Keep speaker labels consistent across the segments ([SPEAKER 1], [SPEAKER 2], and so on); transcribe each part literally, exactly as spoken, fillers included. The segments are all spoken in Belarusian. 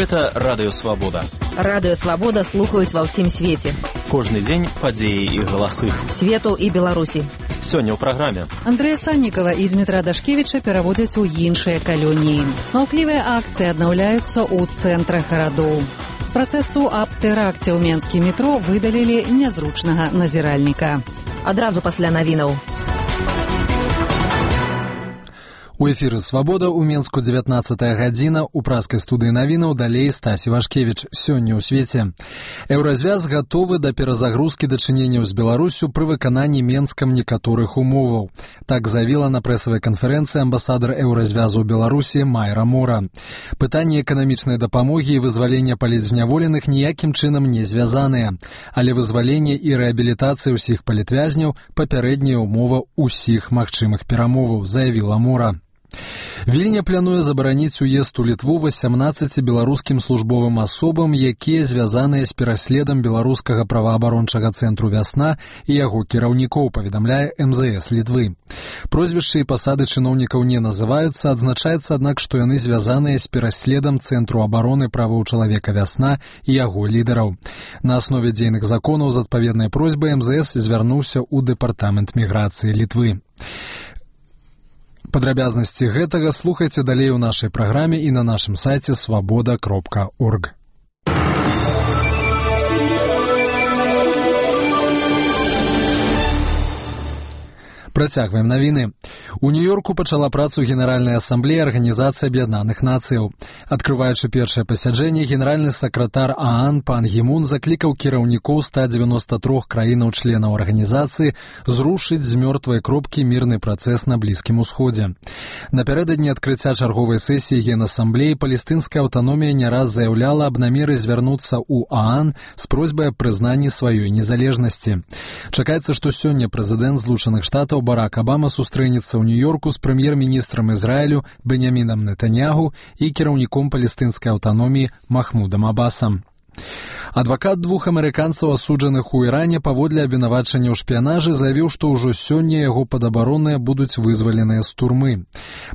[SPEAKER 1] Гэта Радыё Свабода.
[SPEAKER 2] Радыё Свабода слухаюць ва ўсім свеце.
[SPEAKER 1] Кожны дзень падзеі і галасы.
[SPEAKER 2] Свету і Беларусі.
[SPEAKER 1] Сёння ў праграме.
[SPEAKER 3] Андрэя Саннікава і Змітра Дашкевіча пераводзяць у іншыя калоніі. Маўклівыя акцыі аднаўляюцца ў цэнтрах гарадоў. З працэсу аб тэракце ў Менскім метро выдалілі нязручнага назіральніка.
[SPEAKER 2] Адразу пасля навінаў.
[SPEAKER 4] У эфіры «Свабода» у Менску дзевятнаццатая гадзіна, у праскай студыі навінаў далей Стасі Вашкевіч. Сёння ў свеце. Еўразвяз гатовы да перазагрузкі дачыненняў з Беларусю пры выкананні Менскам некаторых умоваў. Так заявіла на прэсавай канферэнцыі амбасадар Еўразвязу ў Беларусі Майра Мора. Пытанні эканамічнай дапамогі і вызвалення палітзняволеных ніякім чынам не звязаныя, але вызваленне і рэабілітацыя ўсіх палітвязняў папярэдняя ўмова ўсіх магчымых перамоваў, заявіла Мора. Вільня плануе забараніць уезд у Літву васямнаццаці беларускім службовым асобам, якія звязаныя з пераследам беларускага праваабарончага цэнтру «Вясна» і яго кіраўнікоў, паведамляе эм зэ эс Літвы. Прозвішчы і пасады чыноўнікаў не называюцца, адзначаецца, аднак, што яны звязаныя з пераследам цэнтру абароны правоў чалавека «Вясна» і яго лідараў. На аснове дзейных законаў з адпаведнай просьбай эм зэ эс звярнуўся ў дэпартамент міграцыі Літвы. Падрабязнасці гэтага слухайце далей у нашай праграме і на нашым сайце свабода кропка орг. Працягваем навіны. У Нью-Йорку пачала працу Генеральная асамблея Арганізацыі Аб'яднаных Нацыяў. Адкрываючы першае пасяджэнне, генеральны сакратар ААН пан Гімун заклікаў кіраўнікоў ста дзевяноста трох краінаў-членаў арганізацыі зрушыць з мёртвай кропкі мірны працэс на Блізкім Усходзе. Напярэдадні адкрыцця чарговай сесіі Генасамблеі палестынская аўтаномія не раз заяўляла аб намеры звярнуцца ў ААН з просьбай аб прызнанні сваёй незалежнасці. Чакаецца, што сёння прэзідэнт Злучаных Штатаў Барак Абама сустрэнецца ў Нью-Йорку з прэм'ер-міністрам Ізраілю Беньямінам Нетаньягу і кіраўніком палестынскай аўтаноміі Махмудам Абасам. Адвакат двух амерыканцаў, асуджаных у Іране паводле абвінавачання ў шпіянажы, заявіў, што ўжо сёння яго падабаронныя будуць вызваленыя з турмы.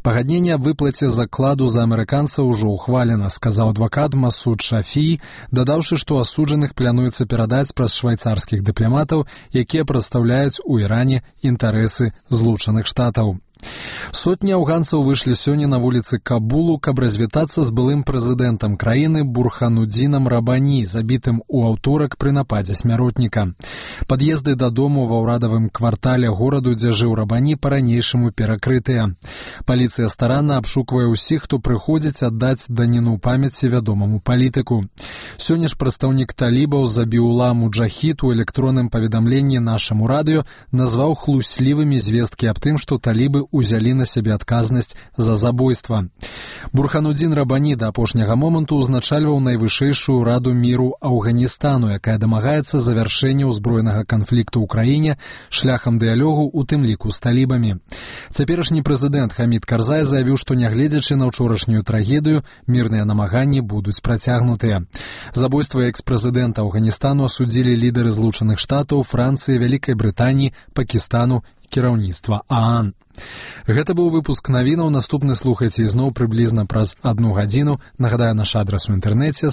[SPEAKER 4] Пагадненне аб выплаце закладу за амерыканцаў ужо ухвалена, сказаў адвакат Масуд Шафій, дадаўшы, што асуджаных плануецца перадаць праз швайцарскіх дыпламатаў, якія прадстаўляюць у Іране інтарэсы Злучаных Штатаў. Сотні афганцаў выйшлі сёння на вуліцы Кабулу, каб развітацца з былым прэзідэнтам краіны Бурханудзінам Рабані, забітым у аўторак пры нападзе смяротніка. Пад'езды дадому ва ўрадавым квартале гораду, дзе жыў Рабані, па-ранейшаму перакрытыя. Паліцыя старанна абшуквае ўсіх, хто прыходзіць аддаць даніну памяці вядомаму палітыку. Сёння ж прадстаўнік талібаў Забіула Муджахід у электронным паведамленні нашаму радыё назваў хлуслівымі звесткі аб тым, што талібы узялі на сябе адказнасць за забойства. Бурханудзін Рабані да апошняга моманту ўзначальваў найвышэйшую раду міру Афганістану, якая дамагаецца завяршэння ўзброенага канфлікту ў краіне шляхам дыялогу, у тым ліку з талібамі. Цяперашні прэзідэнт Хамід Карзай заявіў, што нягледзячы на ўчорашнюю трагедыю, мірныя намаганні будуць працягнутыя. Забойства экс-прэзідэнта Афганістану асудзілі лідары Злучаных Штатаў, Францыі, Вялікай Брытаніі, Пакістану, кіраўніцтва ААН. Гэта быў выпуск навінаў. Наступны слухайце ізноў прыблізна праз адну гадзіну. Нагадаю, наш адрас у інтэрнэце